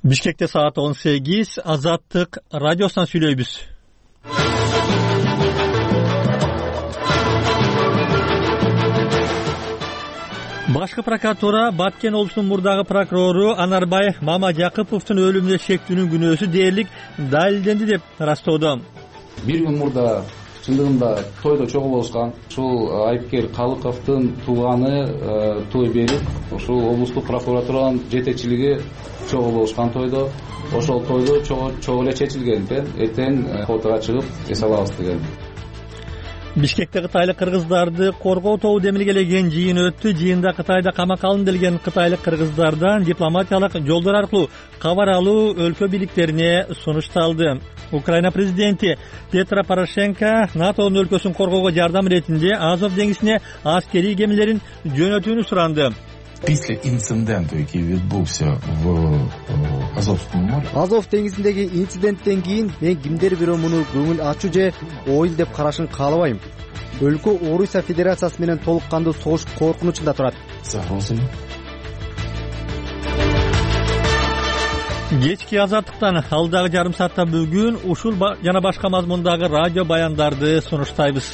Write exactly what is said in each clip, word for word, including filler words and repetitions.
Бишкекте саат он сегиз. Азаттык радиосунан сүйлөйбүз. Башкы прокуратура Баткен облусунун мурдагы прокурору Анарбай Мамажакыповдун өлүмүнө шектүүнүн күнөөсү дээрлик далилденди деп ырастоодо. Бир күн мурда чындыгында тойдо чогуу болушкан. Ушул айыпкер Калыковдун тууганы той берип, ушул облустук прокуратуранын жетекчилиги чогуу болушкан тойдо. Ошол тойдо чогуу эле чечилген экен. Эртең фотого чыгып эс алабыз деген. Бишкекте кытайлык кыргыздарды коргоо тобу демилгелеген жыйын өттү. Жыйында Кытайда камакка алынды делген кытайлык кыргыздардан дипломатиялык жолдор аркылуу кабар алуу өлкө бийликтерине сунушталды. Украина президенти Петро Порошенко НАТОнун өлкөсүн коргоого жардам иретинде Азов деңизине аскерий кемелерин жөнөтүүнү суранды. Після інциденту, який відбувся в Азовському морі. Азов деңизиндеги инциденттен кийин мен кимдер бирөө муну көңүл ачуу же оюл деп карашын каалабайм. Өлкө Орусия Федерациясы менен толук кандуу согуш коркунучунда турат. Загрозы. Кечки азаттыктан алдагы жарым саатта бүгүн ушул жана башка мазмундагы радио баяндарды сунуштайбыз.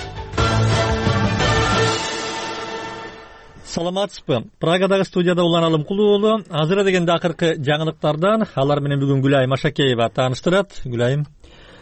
Саламатсызбы? Прагадагы студияда Улан Алымкулуу уулу. Азыр дегенде акыркы жаңылыктардан алар менен бүгүн Гүлайым Машакеева тааныштырат. Гүлайым.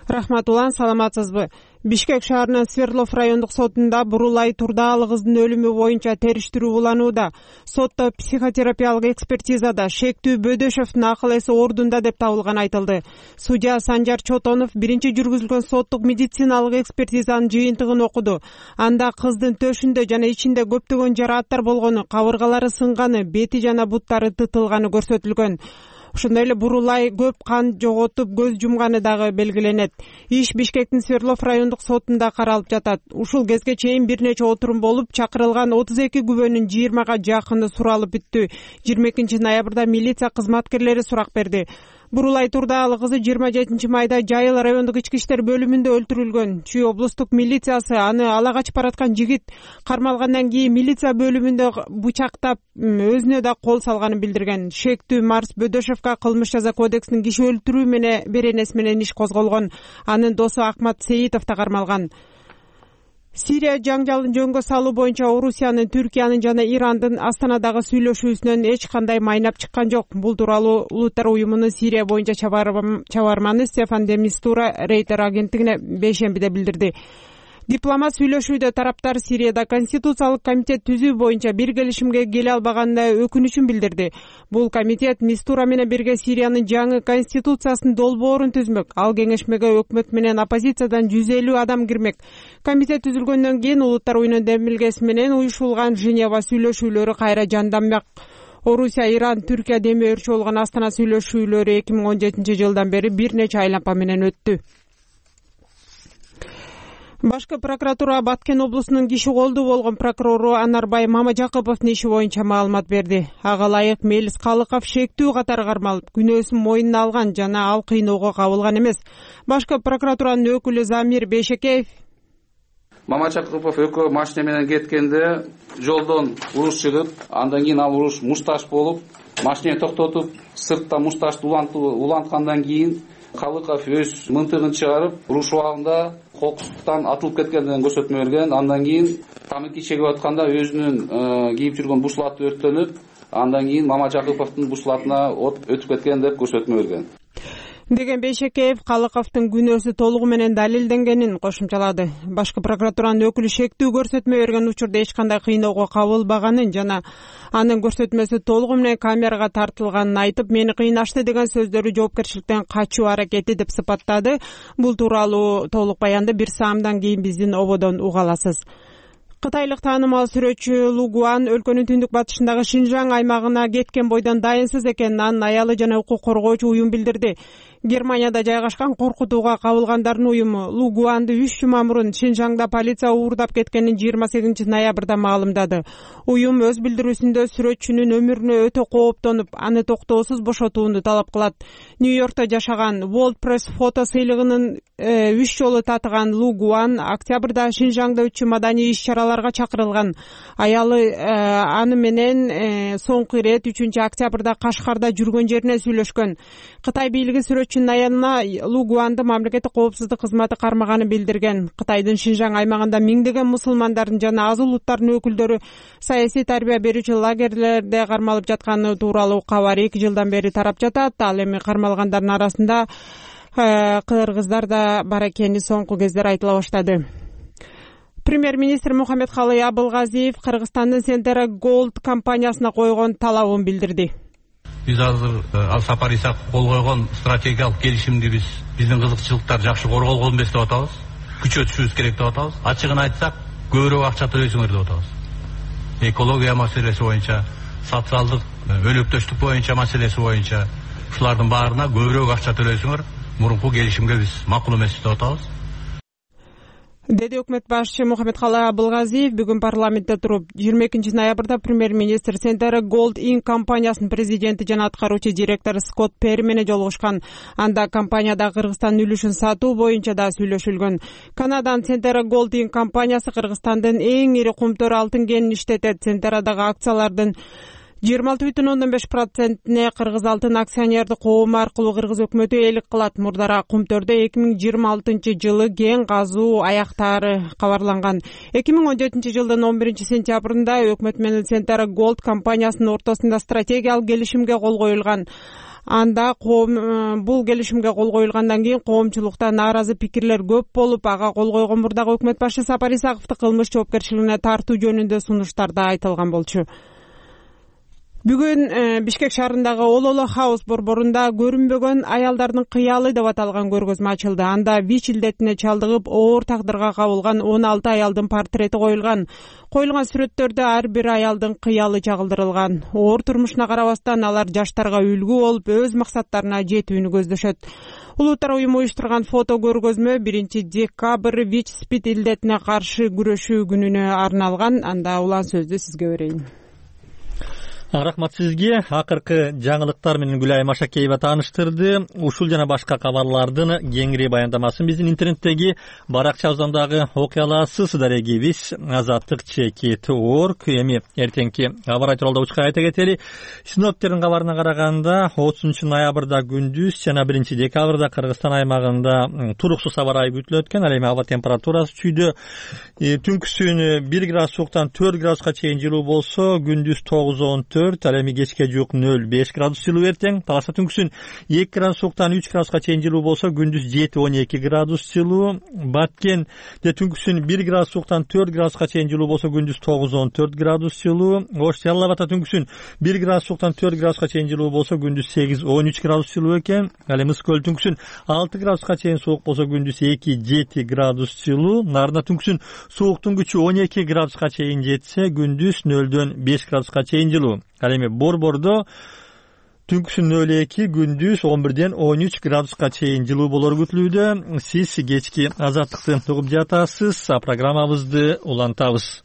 Рахмат Улан, саламатсызбы? Бишкек шаарынын Свердлов райондук сотунда Бурулай Турдаалы кыздын өлүмү боюнча териштирүү уланууда. Сотто психотерапиялык экспертизада шектүү Бөдөшевдун акыл эси ордунда деп табылган айтылды. Судья Санжар Чотонов биринчи жүргүзүлгөн соттук медициналык экспертизанын жыйынтыгын окуду. Анда кыздын төшүндө жана ичинде көптөгөн жарааттар болгону, кабыргалары сынганы, бети жана буттары тытылганы көрсөтүлгөн. Ошондой эле Бурулай көп кан жоготуп көз жумганы дагы белгиленет. Иш Бишкектин Свердлов райондук сотунда каралып жатат. Ушул кезге чейин бир нече отурум болуп, чакырылган отуз эки күбөнүн жыйырмага жакыны суралып бүттү. жыйырма экинчи ноябрда милиция кызматкерлери сурак берди. Бурулай Турдаалы кызы жыйырма жетинчи майда Жайыл райондук ички иштер бөлүмүндө өлтүрүлгөн. Чүй облустук милициясы аны ала качып бараткан жигит кармалгандан кийин милиция бөлүмүндө бычактап, өзүнө да кол салганын билдирген. Шектүү Марс Бөдөшевка кылмыш жаза кодексинин киши өлтүрүү менен беренеси менен иш козголгон. Анын досу Акмат Сейитов да кармалган. Сирия жаңжалын жөнгө салуу боюнча Орусиянын, Түркиянын жана Ирандын Астанадагы сүйлөшүүсүнөн эч кандай майнап чыккан жок. Бул тууралуу Улуттар уюмунун Сирия боюнча чабарманы Стефан де Мистура Рейтер агенттигине бейшембиде билдирди. Дипломат сүйлөшүүдө тараптар Сирияда конституциялык комитет түзүү боюнча бир келишимге келе албаганына өкүнүчүн билдирди. Бул комитет Мистура менен бирге Сириянын жаңы конституциясынын долбоорун түзмөк. Ал кеңешмеге өкмөт менен оппозициядан жүз элүү адам кирмек. Комитет түзүлгөндөн кийин Улуттар уюмунун демилгеси менен уюшулган Женева сүйлөшүүлөрү кайра жанданмак. Орусия, Иран, Түркия деми өрчү болгон Астана сүйлөшүүлөрү эки миң он жетинчи жылдан бери бир нече айлампа менен өттү. Башкы прокуратура Баткен облусунун киши колдуу болгон прокурору Анарбай Мамажакыповдун иши боюнча маалымат берди. Ага ылайык Мелис Калыков шектүү катары кармалып, күнөөсүн мойнуна алган жана ал кыйноого кабылган эмес. Башкы прокуратуранын өкүлү Замир Бейшекеев Мамажакыпов экөө машина менен кеткенде жолдон уруш чыгып, андан кийин ал уруш мушташ болуп, машинени токтотуп, сыртта мушташты уланткандан кийин Калыков өз мынтыгын чыгарып, уруш убагында кокустуктан атылып кеткендигин көрсөтмө берген. Андан кийин тамаки чегип атканда өзүнүн кийип жүргөн бушлаты өрттөнүп, андан кийин Мамажакыповдун бушлатына от өтүп кеткен деп көрсөтмө берген. Деген Бейшекеев Калыковдун күнөөсү толугу менен далилденгенин кошумчалады. Башкы прокуратуранын өкүлү шектүү көрсөтмө берген учурда эч кандай кыйноого кабылбаганын жана анын көрсөтмөсү толугу менен камерага тартылганын айтып, мени кыйнашты деген сөздөрү жоопкерчиликтен качуу аракети деп сыпаттады. Бул тууралуу толук баянды бир саамдан кийин биздин ободон уга аласыз. Кытайлык таанымал сүрөтчү Лу Гуан өлкөнүн түндүк батышындагы Шинжаң аймагына кеткен бойдон дайынсыз экенин анын аялы жана укук коргоочу уюм билдирди. Германияда жайгашкан коркутууга кабылгандардын уюму Лугуанды үч жума мурун Шинжаңда полиция уурдап кеткенин жыйырма сегизинчи ноябрда маалымдады. Уюм өз билдирүүсүндө сүрөтчүнүн өмүрүнө өтө кооптонуп, аны токтоосуз бошотууну талап кылат. Нью-Йоркто жашаган World Press фото сыйлыгынын үч жолу татыган Лугуан октябрда Шинжаңда өтчү маданий иш-чараларга чакырылган. Аялы аны менен соңку ирет үчүнчү октябрда Кашкарда жүргөн жерине сүйлөшкөн. Кытай бийлиги сүрөтчүнүн аянына Лугуанды мамлекеттик коопсуздук кызматы кармаганын билдирген. Кытайдын Шинжаң аймагында миңдеген мусулмандардын жана аз улуттардын өкүлдөрү саясий тарбия берүүчү лагерлерде кармалып жатканы тууралуу кабар эки жылдан бери тарап жатат. Ал эми кармалгандардын арасында кыргыздар да бар экени соңку кездер айтыла баштады. Премьер-министр Мухаммедкалый Абылгазиев Кыргызстандын Сентера Голд компаниясына койгон талабын билдирди. Биз азыр Ал Сапар Исак кол койгон стратегиялык келишимди биз биздин кызыкчылыктар жакшы корголгон эмес деп атабыз. Күчөтүшүбүз керек деп атабыз. Ачыгын айтсак, көбүрөөк акча төлөйсүңөр деп атабыз. Экология маселеси боюнча, социалдык өлөктөштүк боюнча маселеси боюнча ушулардын баарына көбүрөөк акча төлөйсүңөр. Мурунку келишимге биз макул эмес деп атабыз. Деди өкмөт башчы Мухаммедкалый Абылгазиев бүгүн парламентте туруп, жыйырма экинчи ноябрда премьер-министр Сентера Голд Инк компаниясынын президенти жана аткаруучу директору Скотт Перри менен жолугушкан. Анда компанияда Кыргызстандын үлүшүн сатуу боюнча да сүйлөшүлгөн. Канаданын Сентера Голд Инк компаниясы Кыргызстандын эң ири кумтөр алтын кенин иштетет. Сентерадагы акциялардын жыйырма алты бүтүн ондон беш процентине Кыргыз алтын акционердик коому аркылуу Кыргыз өкмөтү ээлик кылат. Мурдара кумтөрдө эки миң жыйырма алтынчы жылы кен казуу аяктаары кабарланган. эки миң он жетинчи жылдын он биринчи сентябрында өкмөт менен Сентера Голд компаниясынын ортосунда стратегиялык келишимге кол коюлган. Анда коом бул келишимге кол коюлгандан кийин коомчулукта нааразы пикирлер көп болуп, ага кол койгон мурдагы өкмөт башы Сапар Исаковду кылмыш жоопкерчилигине тартуу жөнүндө сунуштар да айтылган болчу. Бүгүн Бишкек шаарындагы Ололо Хаус борборунда көрүнбөгөн аялдардын кыялы деп аталган көргөзмө ачылды. Анда ВИЧ илдетине чалдыгып оор тагдырга кабылган он алты аялдын портрети коюлган. Коюлган сүрөттөрдө ар бир аялдын кыялы чагылдырылган. Оор турмушуна карабастан алар жаштарга үлгү болуп, өз максаттарына жетүүнү көздөшөт. Улуттар уюму уюштурган фото көргөзмө биринчи декабрь ВИЧ-спид илдетине каршы күрөшүү күнүнө арналган. Анда улан сөздү сизге берейин. Рахмат сизге. Акыркы жаңылыктар менен Гүлайым Ашакеева тааныштырды. Ушул жана башка кабарлардын кеңири баяндамасын биздин интернеттеги баракчабыздагы окуяларсыз дарегибиз азаттык чекит орг. Эми эртеңки кабар айтууларда учка айта кетели. Синоптиктердин кабарына караганда отузунчу ноябрда күндүз жана биринчи декабрда Кыргызстан аймагында туруксуз аба ырайы күтүлөт экен. Ал эми аба температурасы чүйдө түнкүсүн бир градус сууктан төрт градуска чейин жылуу болсо, күндүз тогуз он төрт, ал эми кечке жук нөл беш градус жылуу эртең. Таласа түнкүсүн эки градус сууктан үч градуска чейин жылуу болсо, күндүз жети он эки градус жылуу. Баткенде түнкүсүн бир градус сууктан төрт градуска чейин жылуу болсо, күндүз тогуз он төрт градус жылуу. Ош Жалал Абадта түнкүсүн бир градус сууктан төрт градуска чейин жылуу болсо, күндүз сегиз он үч градус жылуу экен. Ал эми Ысык Көл түнкүсүн алты градуска чейин суук болсо, күндүз эки жети градус жылуу. Нарында түнкүсүн сууктун күчү он эки градуска чейин жетсе, күндүз нөлдөн беш градуска чейин жылуу. Ал эми Борбордо түнкүсүн нөл эки, күндүз он бирден он үч градуска чейин жылуу болор күтүлүүдө. Сиз кечки азаттыкты угуп жатасыз. Программабызды улантабыз.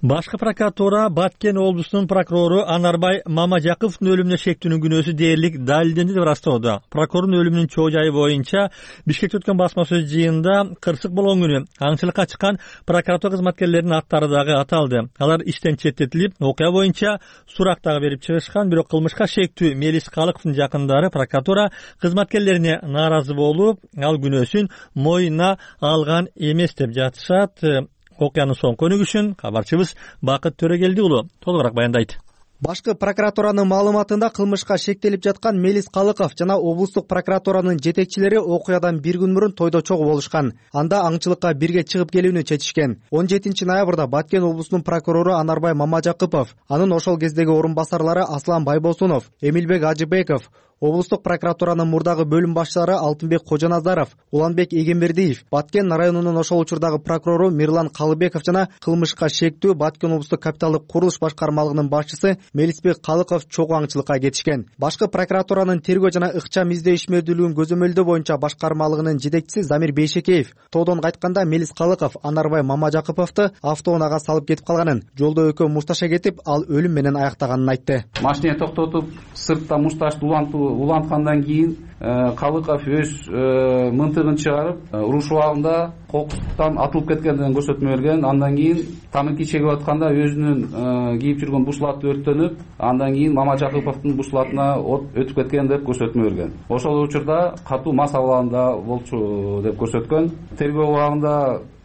Башкы прокуратура Баткен облусунун прокурору Анарбай Мамажаковдун өлүмүнө шектүүнүн күнөөсү дээрлик далилденди деп растоодо. Прокурордун өлүмүнүн чоо жайы боюнча Бишкекте өткөн басма сөз жыйынында кырсык болгон күнү аңчылыкка чыккан прокуратура кызматкерлеринин аттары дагы аталды. Алар иштен четтетилип, окуя боюнча сурак дагы берип чыгышкан, бирок кылмышка шектүү Мелис Калыковдун жакындары прокуратура кызматкерлерине нааразы болуп, ал күнөөсүн мойнуна алган эмес деп жатышат. Окуянын соңку өнүгүшүн кабарчыбыз Бакыт Төрөгелди уулу толугураак баяндайт. Башкы прокуратуранын маалыматында кылмышка шектелип жаткан Мелис Калыков жана облустук прокуратуранын жетекчилери окуядан бир күн мурун тойдо чогуу болушкан. Анда аңчылыкка бирге чыгып келүүнү чечишкен. он жетинчи ноябрда Баткен облусунун прокурору Анарбай Мамажакупов, анын ошол кездеги орун басарлары Аслан Байбосунов, Эмилбек Ажыбеков, Облустук прокуратуранын мурдагы бөлүм башчылары Алтынбек Кожоназаров, Уланбек Эгембердиев, Баткен районунун ошол учурдагы прокурору Мирлан Калыбеков жана кылмышка шектүү Баткен облустук капиталдык курулуш башкармалыгынын башчысы Мелисбек Калыков чогуу аңчылыкка кетишкен. Башкы прокуратуранын тергөө жана ыкчам издөө ишмердүүлүгүн көзөмөлдөө боюнча башкармалыгынын жетекчиси Замир Бейшекеев тоодон кайтканда Мелис Калыков Анарбай Мамажакыповду автоунаага салып кетип калганын, жолдо экөө мушташа кетип, ал өлүм менен аяктаганын айтты. Машине токтотуп, сыртта мушташты уланткандан кийин Калыков өз мынтыгын чыгарып, уруш убагында кокустуктан атылып кеткендигин көрсөтмө берген. Андан кийин тамаки чегип атканда өзүнүн кийип жүргөн бушлаты өрттөнүп, андан кийин Мамажакыповдун бушлатына от өтүп кеткен деп көрсөтмө берген. Ошол учурда катуу мас абалында болчу деп көрсөткөн. Тергөө убагында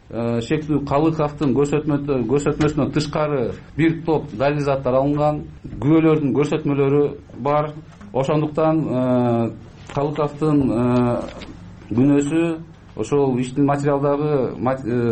шектүү Калыковдун көрсөтмөсүнөн тышкары бир топ далил заттар алынган, күбөлөрдүн көрсөтмөлөрү бар. Ошондуктан Калыковдун күнөөсү ошол иштин материалдагы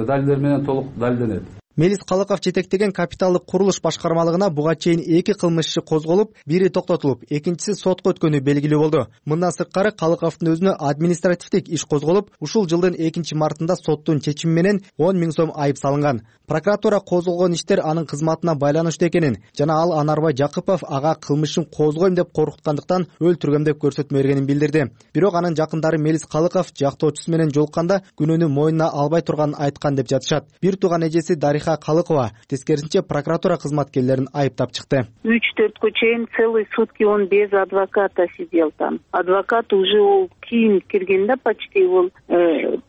далилдер менен толук далилденет. Мелис Калыков жетектеген капиталдык курулуш башкармалыгына буга чейин эки кылмыш иши козголуп, бири токтотулуп, экинчиси сотко өткөнү белгилүү болду. Мындан сырткары Калыковдун өзүнө административдик иш козголуп, ушул жылдын экинчи мартында соттун чечими менен он миң сом айып салынган. Прокуратура козголгон иштер анын кызматына байланыштуу экенин жана ал Анарбай Жакыпов ага кылмышын козгойм деп коркуткандыктан өлтүргөм деп көрсөтмө бергенин билдирди. Бирок анын жакындары Мелис Калыков жактоочусу менен жолукканда күнөөнү мойнуна албай турганын айткан деп жатышат. Бир тууган эжеси Дариха Калыкова тескерисинче прокуратура кызматкерлерин айыптап чыкты. үч төрткө чейин целый сутки он без адвоката сидел там. Адвокат уже ол кийин киргенде почти ол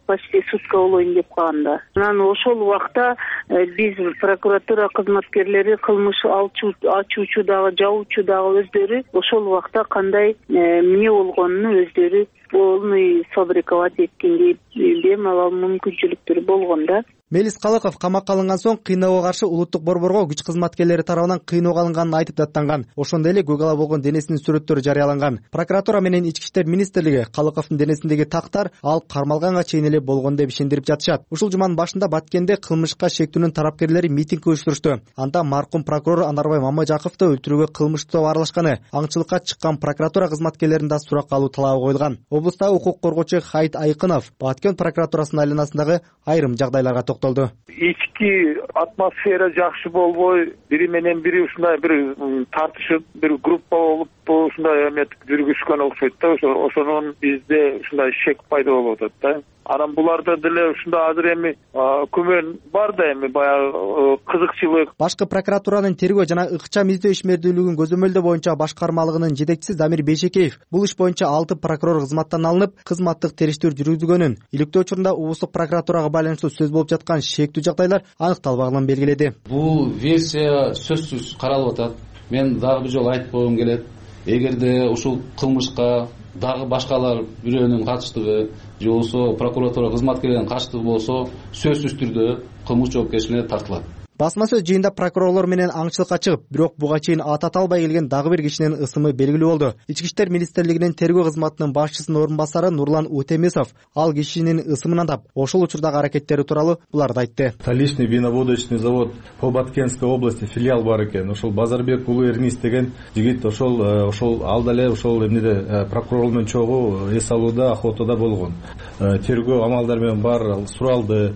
почти сутка болоюн деп калганда. Анан ошол убакта биз прокуратура кызматкерлери кылмыш ачуучу дагы жабуучу дагы өздөрү ошол убакта кандай эмне болгонун өздөрү полный сфабриковать эткенге бемалал мүмкүнчүлүктөр болгон да. Мелис Калыков камакка алынган соң кыйноого каршы улуттук борборго күч кызматкерлери тарабынан кыйноого алынганын айтып даттанган. Ошондой эле көк ала болгон денесинин сүрөттөрү жарыяланган. Прокуратура менен Ички иштер министрлиги Калыковдун денесиндеги тактар ал кармалганга чейин эле болгон деп ишендирип жатышат. Ушул жуманын башында Баткенде кылмышка шектүүнүн тарапкерлери митинг уюштурушту. Анда маркум прокурор Анарбай Мамажаковду өлтүрүүгө кылмыштуу аралашканы, аңчылыкка чыккан прокуратура кызматкерлерин да суракка алуу талабы коюлган. Облустагы укук коргоочу Хайит Айкынов Баткен прокуратурасынын айланасындагы айрым жагдайларга токтолду. Ички атмосфера жакшы болбой, бири менен бири ушундай бир тартышып, бир группа болуп ушундай эмет жүргүзгөн окшойт да. Ошонун бизде ушундай шек пайда болуп атат да. Анан буларда деле ушундай азыр эми күмөн бар да, эми баягы кызыкчылык. Башкы прокуратуранын тергөө жана ыкчам издөө ишмердүүлүгүн көзөмөлдөө боюнча башкармалыгынын жетекчиси Замир Бейшекеев бул иш боюнча алты прокурор кызматтан алынып, кызматтык териштирүү жүргүзгөнүн, иликтөө учурунда облустук прокуратурага байланыштуу сөз болуп жаткан шектүү жагдайлар аныкталбаганын белгиледи. Бул версия сөзсүз каралып атат. Мен дагы бир жолу айтып койгум келет. Эгерде ушул кылмышка дагы башкалар бирөөнүн катыштыгы же болбосо прокуратура кызматкерлеринин катыштыгы болсо, сөзсүз түрдө кылмыш жоопкерчиликке тартылат. Басма сөз жыйында прокурорлор менен аңчылыкка чыгып, бирок буга чейин аты аталбай келген дагы бир кишинин ысымы белгилүү болду. Ички иштер министрлигинин тергөө кызматынын башчысынын орун басары Нурлан Утемесов ал кишинин ысымын атап, ошол учурдагы аракеттери тууралуу буларды айтты. Столичный виноводочный завод по Баткенской области филиал бар экен. Ошол Базарбек уулу Эрнис деген жигит ошол ошол ал дале ошол эмнеде прокурор менен чогуу эс алууда, охотада болгон. Тергөө амалдары менен бар суралды.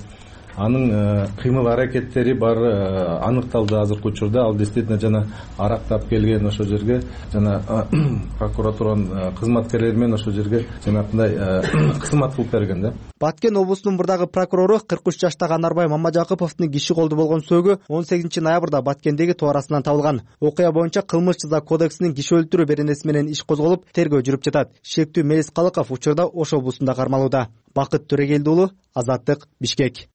Анын кыймыл аракеттери бар аныкталды азыркы учурда. Ал действительно жана арактап келген ошол жерге, жана прокуратуранын кызматкерлери менен ошол жерге жанагындай кызмат кылып берген да. Баткен облусунун мурдагы прокурору кырк үч жаштагы Анарбай Мамажакыповдун киши колду болгон сөөгү он сегизинчи ноябрда Баткендеги тоо арасынан табылган. Окуя боюнча кылмыш жаза кодексинин киши өлтүрүү беренеси менен иш козголуп, тергөө жүрүп жатат. Шектүү Мелис Калыков учурда ошол облусунда кармалууда. Бакыт Төрегелди уулу, Азаттык, Бишкек.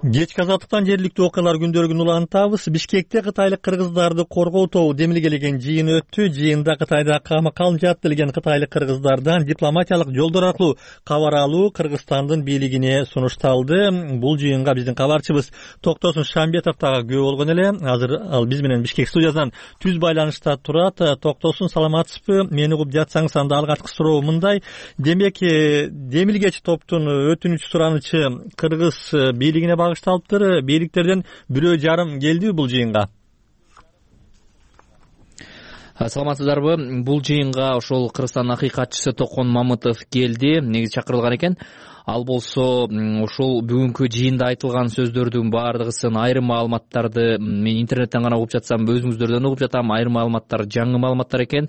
Кечки азаттыктан жергиликтүү окуялар күндөрүн улантабыз. Бишкекте кытайлык кыргыздарды коргоо тобу демилгелеген жыйын өттү. Жыйында Кытайда камакка алынчат делген кытайлык кыргыздардан дипломатиялык жолдор аркылуу кабар алуу Кыргызстандын бийлигине сунушталды. Бул жыйынга биздин кабарчыбыз Токтосун Шамбетов дагы күбө болгон эле. Азыр ал биз менен Бишкек студиясынан түз байланышта турат. Токтосун, саламатсызбы? Мени угуп жатсаңыз анда алгачкы суроо мындай. Демек, демилгечи топтун өтүнүч суранычы кыргыз бийлигине багышталыптыр. Бийликтерден бирөө жарым келдиби бул жыйынга? Саламатсыздарбы? Бул жыйынга ошол Кыргызстандын акыйкатчысы Токон Мамытов келди. Негизи чакырылган экен. Ал болсо ошол бүгүнкү жыйында айтылган сөздөрдүн баардыгысын, айрым маалыматтарды мен интернеттен гана угуп жатсам, өзүңүздөрдөн угуп жатам. Айрым маалыматтар жаңы маалыматтар экен.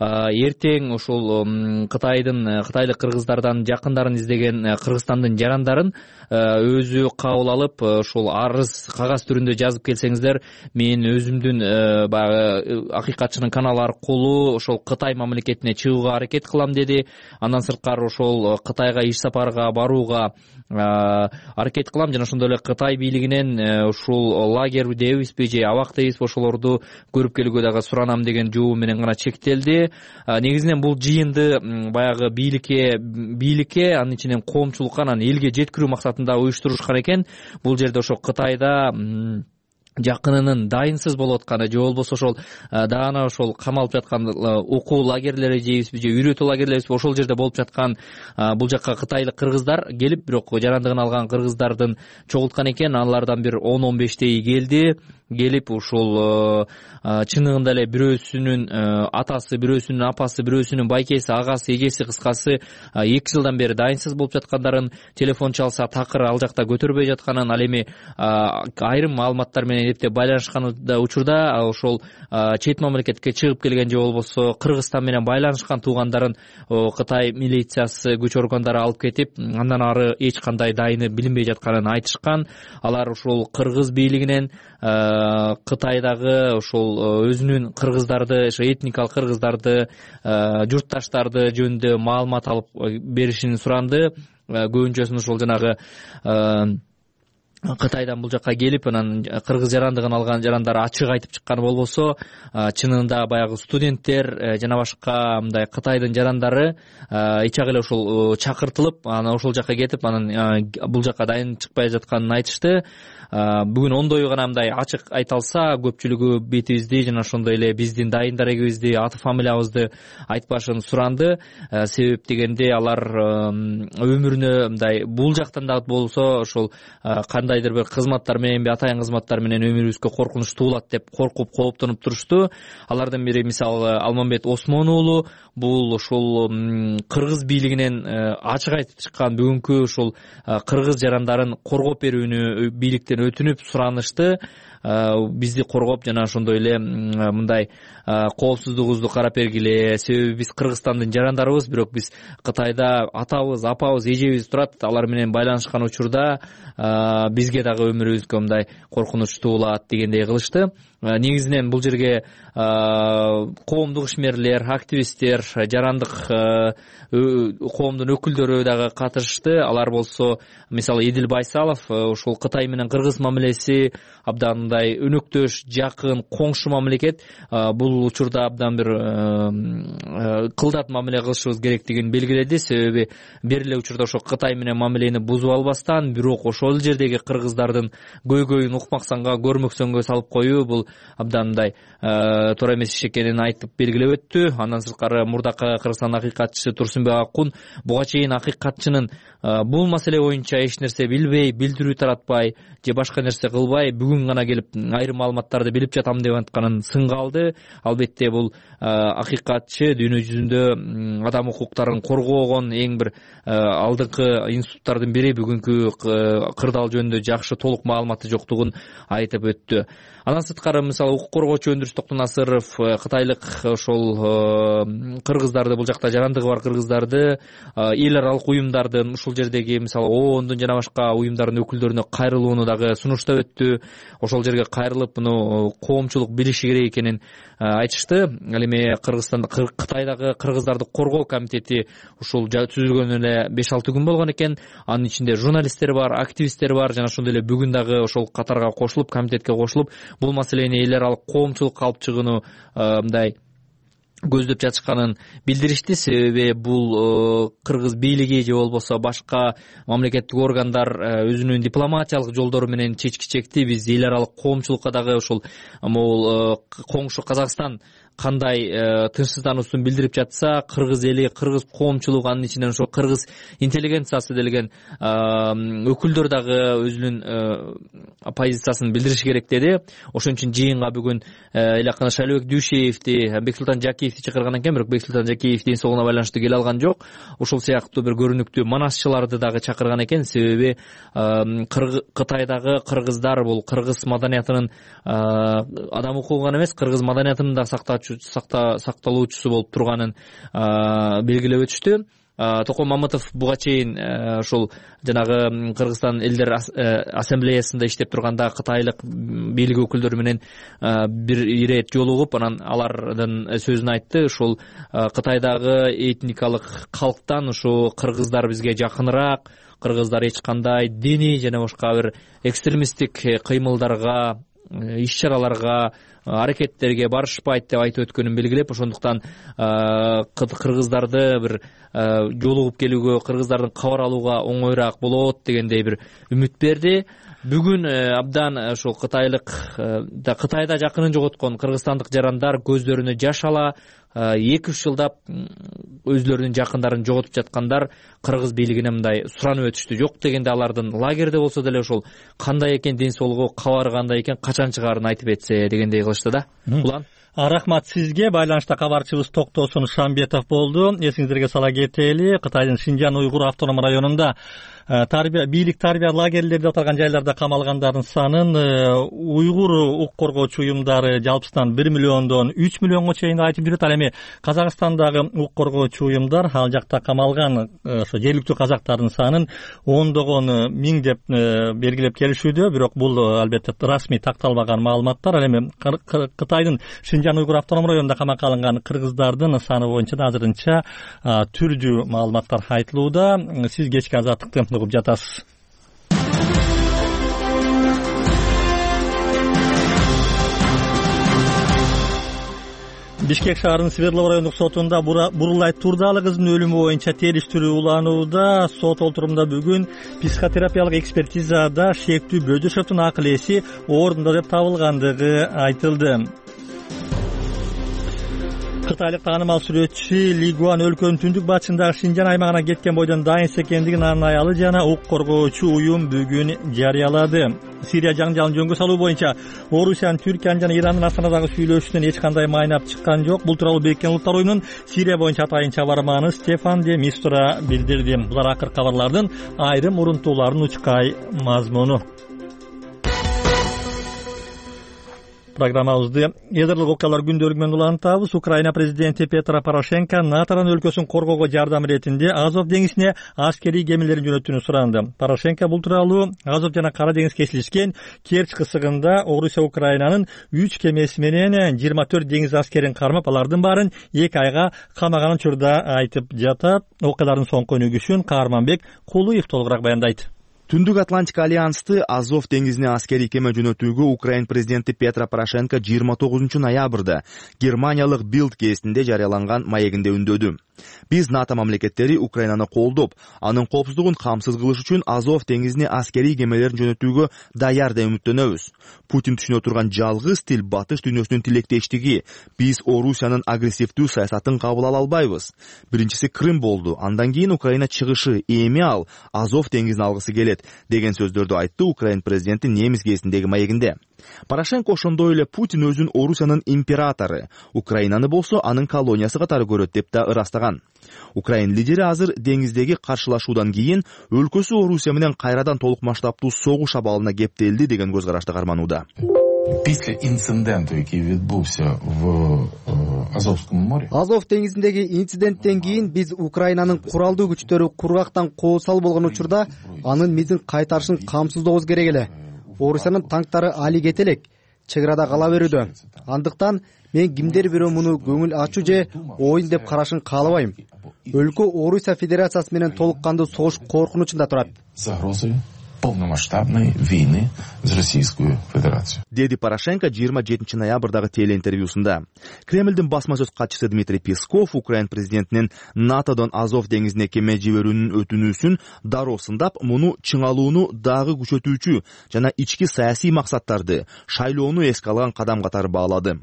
Эртең ошол Кытайдын кытайлык кыргыздардан жакындарын издеген Кыргызстандын жарандарын өзү кабыл алып, ошол арыз кагаз түрүндө жазып келсеңиздер, мен өзүмдүн баягы акыйкатчынын каналы аркылуу ошол Кытай мамлекетине чыгууга аракет кылам деди. Андан сырткары ошол Кытайга иш сапарга барууга аракет кылам, жана ошондой эле Кытай бийлигинен ушул лагерь дебизби же абак дебизби ошолорду көрүп келүүгө дагы суранам деген жообу менен гана чектелди. Негизинен бул жыйынды баягы бийликке бийликке анын ичинен коомчулукка, анан элге жеткирүү максатында уюштурушкан экен. Бул жерде ошо Кытайда жакынынын дайынсыз болуп атканы же болбосо ошол даана ошол камалып жаткан окуу лагерлери жейбизби же үйрөтүү лагерлерибизби ошол жерде болуп жаткан бул жакка кытайлык кыргыздар келип, бирок жарандыгын алган кыргыздардын чогулткан экен. Алардан бир он он бештей келди. Келип ушул чыныгында эле бирөөсүнүн атасы, бирөөсүнүн апасы, бирөөсүнүн байкеси, агасы, эжеси, кыскасы эки жылдан бери дайынсыз болуп жаткандарын, телефон чалса такыр ал жакта көтөрбөй жатканын, ал эми айрым маалыматтар менен эптеп байланышкан учурда ошол чет мамлекетке чыгып келген же болбосо Кыргызстан менен байланышкан туугандарын Кытай милициясы, күч органдары алып кетип, андан ары эч кандай дайыны билинбей жатканын айтышкан. Алар ошол кыргыз бийлигинен Кытайдагы ошол өзүнүн кыргыздарды, этникалык кыргыздарды, журтташтарды жөнүндө маалымат алып беришин суранды. Көбүнчөсүн ошол жанагы Кытайдан бул жакка келип, анан кыргыз жарандыгын алган жарандар ачык айтып чыкканы болбосо, чынында баягы студенттер жана башка мындай Кытайдын жарандары ичак эле ошол чакыртылып, анан ошол жакка кетип, анан бул жакка дайын чыкпай жатканын айтышты. Бүгүн ондой гана мындай ачык айта алса, көпчүлүгү бетибизди жана ошондой эле биздин дайын дарегибизди, аты фамилиябызды айтпашын суранды. Себеп дегенде алар өмүрүнө мындай бул жактан да болсо ошол кандайдыр бир кызматтар менен, атайын кызматтар менен өмүрүбүзгө коркунуч туулат деп коркуп, кооптонуп турушту. Алардын бири мисалы Алмамбет Осмон уулу, бул ошол кыргыз бийлигинен ачык айтып чыккан, бүгүнкү ошол кыргыз жарандарын коргоп берүүнү бийликтен өтүнүп суранышты. Бизди коргоп жана ошондой эле мындай коопсуздугубузду карап бергиле. Себеби биз Кыргызстандын жарандарыбыз, бирок биз Кытайда атабыз, апабыз, эжебиз турат. Алар менен байланышкан учурда бизге дагы өмүрүбүзгө мындай коркунуч туулат дегендей кылышты. Негизинен бул жерге коомдук ишмерлер, активисттер, жарандык коомдун өкүлдөрү дагы катышты. Алар болсо мисалы Эдил Байсалов ошол Кытай менен кыргыз мамилеси абдан мындай өнөктөш, жакын, коңшу мамлекет. Бул учурда абдан бир кылдат мамиле кылышыбыз керектигин белгиледи. Себеби бир эле учурда ошо Кытай менен мамилени бузуп албастан, бирок ошол жердеги кыргыздардын көйгөйүн укмаксанга, көрмөксөнгө салып коюу бул абдан мындай туура эмес иш экенин айтып белгилеп өттү. Андан сырткары мурдакы Кыргызстандын акыйкатчысы Турсунбек Акун буга чейин акыйкатчынын бул маселе боюнча эч нерсе билбей, билдирүү таратпай же башка нерсе кылбай, бүгүн гана келип айрым маалыматтарды билип жатам деп атканын сынга алды. Албетте бул акыйкатчы дүйнө жүзүндө адам укуктарын коргоогон эң бир алдыңкы институттардын бири. Бүгүнкү кырдаал жөнүндө жакшы толук маалыматы жоктугун айтып өттү. Андан сырткары мисалы укук коргоочу Өндүрүс Токтонасыров кытайлык ошол кыргыздарды, бул жакта жарандыгы бар кыргыздарды эл аралык уюмдардын, ушул жердеги мисалы оондун жана башка уюмдардын өкүлдөрүнө кайрылууну дагы сунуштап өттү. Ошол жерге кайрылып муну коомчулук билиши керек экенин айтышты. Ал эми Кыргызстанда Кытайдагы кыргыздарды коргоо комитети ушул түзүлгөнүнө эле беш алты күн болгон экен. Анын ичинде журналисттер бар, активисттер бар жана ошондой эле бүгүн дагы ошол катарга кошулуп, комитетке кошулуп бул маселени эл аралык коомчулукка алып чыгууну мындай көздөп жатышканын билдиришти. Себеби бул кыргыз бийлиги же болбосо башка мамлекеттик органдар өзүнүн дипломатиялык жолдору менен чечкичекти биз эл аралык коомчулукка дагы ошол могул коңшу Казакстан кандай тынчсыздануусун билдирип жатса, кыргыз эли, кыргыз коомчулугу, анын ичинен ошо кыргыз интеллигенциясы делген өкүлдөр дагы өзүнүн позициясын билдириши керек деди. Ошон үчүн жыйынга бүгүн эле акына Шайлообек Дүйшеевди, Бексултан Жакиевди чакырган экен, бирок Бексултан Жакиев ден соолугуна байланыштуу келе алган жок. Ошол сыяктуу бир көрүнүктүү манасчыларды дагы чакырган экен. Себеби Кытайдагы кыргыздар бул кыргыз маданиятынын адам укугу гана эмес, кыргыз маданиятынын да сакталуучусу болуп турганын белгилеп өтүштү. Токон Мамытов буга чейин ошол жанагы Кыргызстан элдер ассамблеясында иштеп турганда кытайлык бийлик өкүлдөрү менен бир ирет жолугуп, анан алардын сөзүн айтты. Ошол Кытайдагы этникалык калктан ушу кыргыздар бизге жакыныраак, кыргыздар эч кандай диний жана башка бир экстремисттик кыймылдарга, иш-чараларга, аракеттерге барышпайт деп айтып өткөнүн белгилеп, ошондуктан кыргыздарды бир жолугуп келүүгө, кыргыздардын кабар алууга оңоюраак болот дегендей бир үмүт берди. Бүгүн абдан ошол кытайлык Кытайда жакынын жоготкон кыргызстандык жарандар көздөрүнө жаш ала эки үч жылдап өзлөрүнүн жакындарын жоготуп жаткандар кыргыз бийлигине мындай суранып өтүштү. Жок дегенде алардын лагерде болсо деле ошол кандай экен ден соолугу, кабары кандай экен, качан чыгаарын айтып этсе дегендей кылышты да. Улан Рахмат сизге. Байланышта кабарчыбыз Токтосун Шамбетов болду. Эсиңиздерге сала кетели, Кытайдын Шинжан уйгур автоном районунда тарбия бийлик тарбия лагерлерде отурган жайларда камалгандардын санын уйгур укук коргоочу уюмдары жалпысынан бир миллиондон үч миллионго чейин айтып жүрөт. Ал эми Казакстандагы укук коргоочу уюмдар ал жакта камалган ошо жергиликтүү казактардын санын ондогон миң деп белгилеп келишүүдө. Бирок бул албетте расмий такталбаган маалыматтар. Ал эми Кытайдын Шинжан уйгур автоном районунда камакка алынган кыргыздардын саны боюнча да азырынча түрдүү маалыматтар айтылууда. Сиз кечки азаттыкты угуп жатасыз. Бишкек шаарынын Свердлов райондук сотунда Бурулай Турдалы кыздын өлүмү боюнча териштирүү уланууда. Сот олтурумда бүгүн психотерапиялык экспертизада Шектүү Бөдөшовдун акыл эси ордунда деп табылгандыгы айтылды. Кытайлык таанымал сүрөтчү Ли Гуан өлкөнүн түндүк батышындагы Шинжан аймагына кеткен бойдон дайынс экендигин анын аялы жана укук коргоочу уюм бүгүн жарыялады. Сирия жаңжалын жөнгө салуу боюнча Орусиянын, Түркиянын жана Ирандын Астанадагы сүйлөшүүнөн эч кандай майнап чыккан жок. Бул тууралуу Бириккен Улуттар уюмунун Сирия боюнча атайын чабарманы Стефан де Мистура билдирди. Булар акыркы кабарлардын айрым урунтууларын учкай мазмуну. Программабызды эдерлик окуялар күндөлүгү менен улантабыз. Украина президенти Петро Порошенко Натаран өлкөсүн коргоого жардам иретинде Азов деңизине аскерий кемелерин жөнөтүүнү суранды. Порошенко бул тууралуу Азов жана Кара деңиз кесилишкен Керчь кысыгында Орусия Украинанын үч кемеси менен жыйырма төрт деңиз аскерин кармап, алардын баарын эки айга камаганын учурда айтып жатат. Окуялардын соңку өнүгүшүн Каарманбек Кулуев толугураак баяндайт. Түндүк Атлантик альянсты Азов деңизине аскерий кеме жөнөтүүгө Украин президенти Петро Порошенко жыйырма тогузунчу ноябрда Германиялык Билд гезитинде жарыяланган маегинде үндөдү. Биз НАТО мамлекеттери Украинаны колдоп, анын коопсуздугун камсыз кылыш үчүн Азов деңизине аскерий кемелерин жөнөтүүгө даяр деп үмүттөнөбүз. Путин түшүнө турган жалгыз тил батыш дүйнөсүнүн тилектештиги. Биз Орусиянын агрессивдүү саясатын кабыл ала албайбыз. Биринчиси Крым болду, андан кийин Украина чыгышы, эми ал Азов деңизин алгысы келет деген сөздөрдү айтты Украин президенти немис гезитиндеги маегинде. Порошенко ошондой эле Путин өзүн Орусиянын императору, Украинаны болсо анын колониясы катары көрөт деп да ырастаган. Украин лидери азыр деңиздеги каршылашуудан кийин өлкөсү Орусия менен кайрадан толук масштабтуу согуш абалына кептелди деген көз карашты карманууда. Після інциденту, який відбувся в Азовському морі. Азов деңизиндеги инциденттен кийин биз Украинанын куралдуу күчтөрү кургактан кол салып болгон учурда анын мизин кайтарышын камсыздообуз керек эле. Орусиянын танктары али кете элек, чек арада кала берүүдө. Андыктан мен кимдер бирөө муну көңүл ачуу же оюн деп карашын каалабайм. Өлкө Орусия Федерациясы менен толук кандуу согуш коркунучунда турат. Загрозою полномасштабной войны с Российскую Федерацию. Деди Порошенко жыйырма жетинчи ноябрдагы телеинтервьюсунда. Кремлдин басма сөз катчысы Дмитрий Песков Украин президентинин НАТОдон Азов деңизине кеме жиберүүнүн өтүнүүсүн дароо сындап, муну чыңалууну дагы күчөтүүчү жана ички саясий максаттарды шайлоону эске алган кадам катары баалады.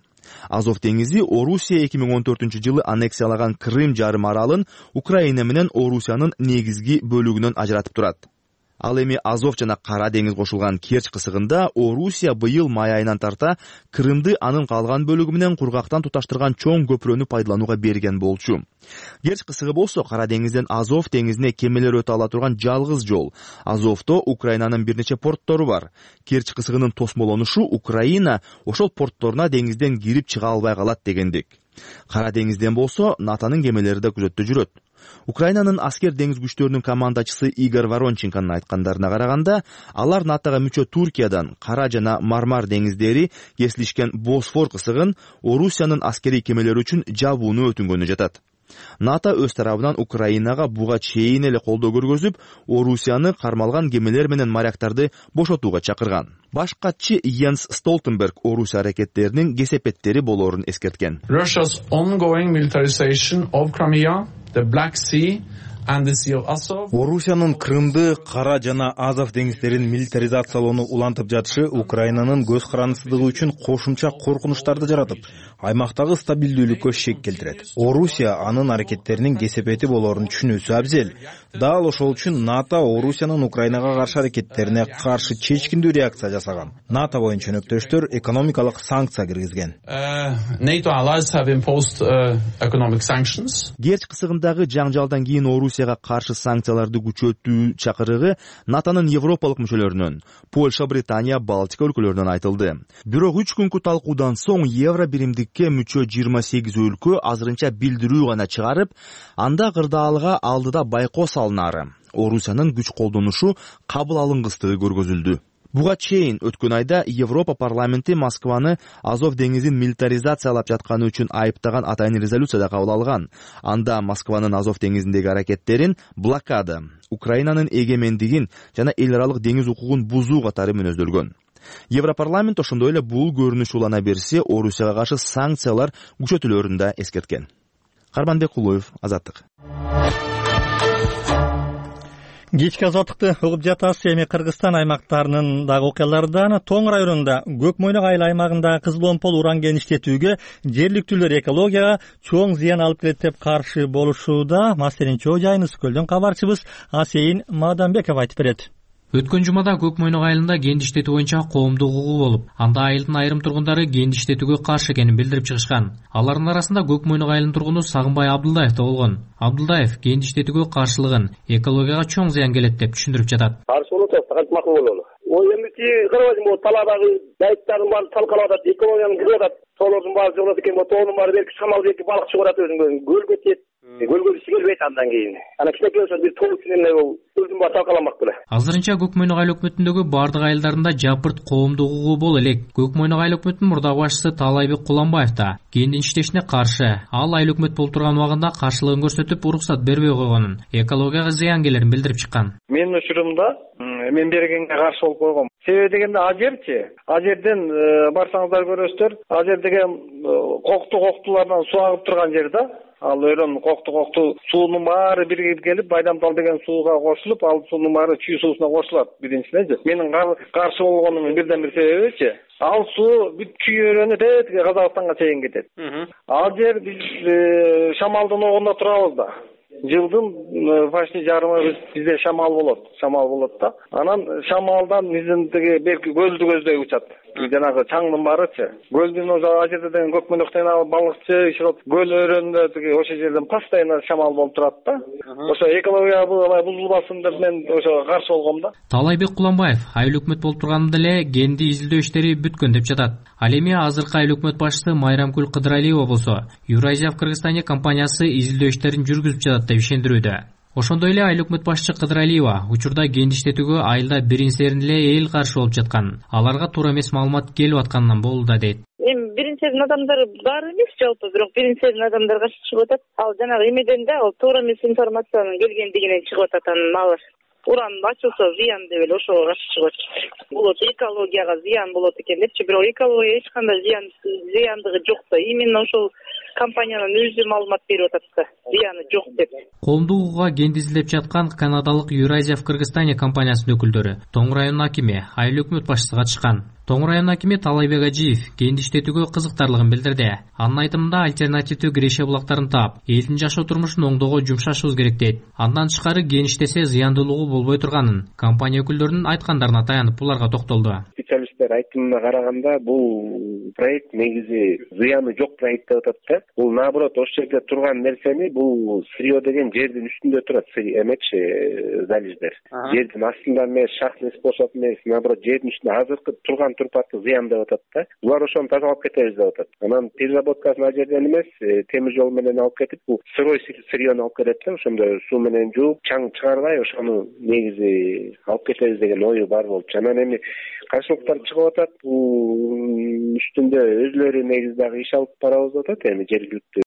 Азов деңизи Орусия эки миң он төртүнчү жылы аннексиялаган Крым жарым аралын Украина менен Орусиянын негизги бөлүгүнөн ажыратып турат. Ал эми Азов жана Кара деңиз кошулган Керчь кысыгында Орусия быйыл май айынан тарта Крымды анын калган бөлүгү менен кургактан туташтырган чоң көпүрөнү пайдаланууга берген болчу. Керчь кысыгы болсо Кара деңизден Азов деңизине кемелер өтө ала турган жалгыз жол. Азовдо Украинанын бир нече порттору бар. Керчь кысыгынын тосмолонушу Украина ошол портторуна деңизден кирип чыга албай калат дегендик. Кара деңизден болсо НАТОнун кемелери да күзөттө жүрөт. Украинанын аскер деңиз күчтөрүнүн командачысы Игорь Воронченконун айткандарына караганда, алар НАТОга мүчө Туркиядан Кара жана Мармар деңиздери кесилишкен Босфор кысыгын Орусиянын аскерий кемелери үчүн жабууну өтүнгөнү жатат. НАТО өз тарабынан Украинага буга чейин эле колдоо көргөзүп, Орусияны кармалган кемелер менен моряктарды бошотууга чакырган. Баш катчы Йенс Столтенберг Орусия аракеттеринин кесепеттери болоорун эскерткен. Russia's ongoing militarization of Crimea, the Black Sea and the Sea of Azov. Орусиянын Крымды, Кара жана Азов деңиздерин милитаризациялоону улантып жатышы Украинанын көз карандысыздыгы үчүн кошумча коркунучтарды жаратып, аймактагы стабилдүүлүккө шек келтирет. Орусия анын аракеттеринин кесепети болоорун түшүнүүсү абзел. Дал ошол үчүн НАТО Орусиянын Украинага каршы аракеттерине каршы чечкиндүү реакция жасаган. НАТО боюнча өнөктөштөр экономикалык санкция киргизген. NATO allies have imposed economic sanctions. Керчь кысыгындагы жаңжалдан кийин Орусияга каршы санкцияларды күчөтүү чакырыгы НАТОнун европалык мүчөлөрүнөн, Польша, Британия, Балтика өлкөлөрүнөн айтылды. Бирок үч күнкү талкуудан соң евро биримдикке мүчө жыйырма сегиз өлкө азырынча билдирүү гана чыгарып, анда кырдаалга алдыда байкоо салынары, Орусиянын күч колдонушу кабыл алынгыстыгы көргөзүлдү. Буга чейин өткөн айда Европа парламенти Москваны Азов деңизин милитаризациялап жатканы үчүн айыптаган атайын резолюцияда кабыл алган. Анда Москванын Азов деңизиндеги аракеттерин блокада, Украинанын эгемендигин жана эл аралык деңиз укугун бузуу катары мүнөздөлгөн. Европарламент ошондой эле бул көрүнүш улана берсе, Орусияга каршы санкциялар күчөтүлөрүн да эскерткен. Карманбек Кулуев, Азаттык. Кечки азаттыкты угуп жатасыз. Эми Кыргызстан аймактарынындагы окуялардан Тоң районунда Көк Мойнок айыл аймагындагы кызыл-омпол уран кеништетүүгө жергиликтүүлөр экологияга чоң зыян алып келет деп каршы болушууда. Маселени чоо жайын Ысык көлдөн кабарчыбыз Асейин Маданбеков айтып берет. Өткөн жумада Көк Мойнок айылында кенди иштетүү боюнча коомдук угуу болуп, анда айылдын айрым тургундары кенди иштетүүгө каршы экенин билдирип чыгышкан. Алардын арасында Көк Мойнок айылынын тургуну Сагынбай Абдылдаев да болгон. Абдылдаев кенди иштетүүгө каршылыгын экологияга чоң зыян келет деп түшүндүрүп жатат. Каршы болот, кантип макул бололу. Ой эмити карабайсың, могу талаадагы дайыттардын баары талкалап атат, экологиянын кырып атат. Тоолордун баары жогот экен, могу тоонун баары берки шамал берки балык чыгып атат өзүң көлгө тиет. Көлгө сиңирбейт андан кийин. Ана кичинекей болсо бир тоо үчүн эле өзүн баары талкаламак беле. Азырынча Көк Мойнок айыл өкмөтүндөгү бардык айылдарында жапырт коомдук угуу боло элек. Көк Мойнок айыл өкмөтүнүн мурдагы башчысы Таалайбек Куланбаев да кендин иштешине каршы. Ал айыл өкмөт болуп турган убагында каршылыгын көрсөтүп, уруксат бербей койгонун, экологияга зыян келерин билдирип чыккан. Менин учурумда мен бергенге каршы болуп койгом. Себеби дегенде а жерчи, а жерден барсаңыздар көрөсүздөр, а жер деген кокту коктулардан суу агып турган жер да. Ал өрөн кокту кокту суунун баары биригип келип, Байдамтал деген сууга кошулуп, ал суунун баары чүй суусуна кошулат биринчиден. Менин каршы болгонумдун бирден бир себебичи, ал суу бүт чүй өрөнү тетиги Казакстанга чейин кетет. Ал жер биз шамалдын огунда турабыз да. Жылдын почти жарымы бизде шамал болот, шамал болот да. Анан шамалдан биздин тиги берки көлдү көздөй учат. жанагы чаңдын баарычы көлдүн ал жерде деген көкмөнөктөн балыкчы иши көл өрөөнүндө тиги ошол жерден постоянно шамал болуп турат да. Ошо экология бузулбасын деп мен ошого каршы болгом да. Таалайбек Куланбаев айыл өкмөт болуп турганда эле кенди изилдөө иштери бүткөн деп жатат. Ал эми азыркы айыл өкмөт башчысы Майрамкүл Кыдыралиева болсо Евразия в Кыргызстане компаниясы изилдөө иштерин жүргүзүп жатат деп ишендирүүдө. Ошондой эле айыл өкмөт башчы Кыдыралиева учурда кенди иштетүүгө айылда бирин серин эле эл каршы болуп жаткан, аларга туура эмес маалымат келип атканынан болууда дейт. Эми бирин серин адамдар бар эмес жалпы, бирок бирин серин адамдар каршы чыгып атат. Ал жанагы эмеден да ал туура эмес информациянын келгендигинен чыгып атат. Анан алар уран ачылса зыян деп эле ошого каршы чыгып атат. Болот экологияга зыян болот экен депчи, бирок экологияга эч кандай зыян зыяндыгы жок да. Именно ошол компаниянын өзү маалымат берип атат да, зыяны жок деп. Коомдук укугга кенди изилдеп жаткан канадалык Евразия в Кыргызстане компаниясынын өкүлдөрү Тоң районунун акими, айыл өкмөт башчысы катышкан. Тоң районунун акими Таалайбек Ажиев кенди иштетүүгө кызыктарлыгын билдирди. Анын айтымында альтернативдүү киреше булактарын таап, элдин жашоо турмушун оңдоого жумшашыбыз керек дейт. Андан тышкары кен иштесе зыяндуулугу болбой турганын, компания өкүлдөрүнүн айткандарына таянып буларга токтолду. Специалисттер айтымына караганда бул проект негизи зыяны жок проект деп атат да. Бул наоборот ошол жерде турган нерсени бул сырье деген жердин үстүндө турат, эмечи залеждер. Жердин астында эмес, шахтный способ эмес, наоборот жердин үстүндө азыркы турган турпаты зыян деп атат да. Булар ошону тазалап кетебиз деп атат. Анан переработкасын ал жерден эмес, темир жол менен алып кетип, бул сырой сырьену алып кетет да, ошондо суу менен жууп, чаң чыгарбай ошону негизи алып кетебиз деген ою бар болчу. Анан эми каршылыктар чыгып атат, бул үстүндө өзүлөрү негизи дагы иш алып барабыз деп атат, эми жергиликтүү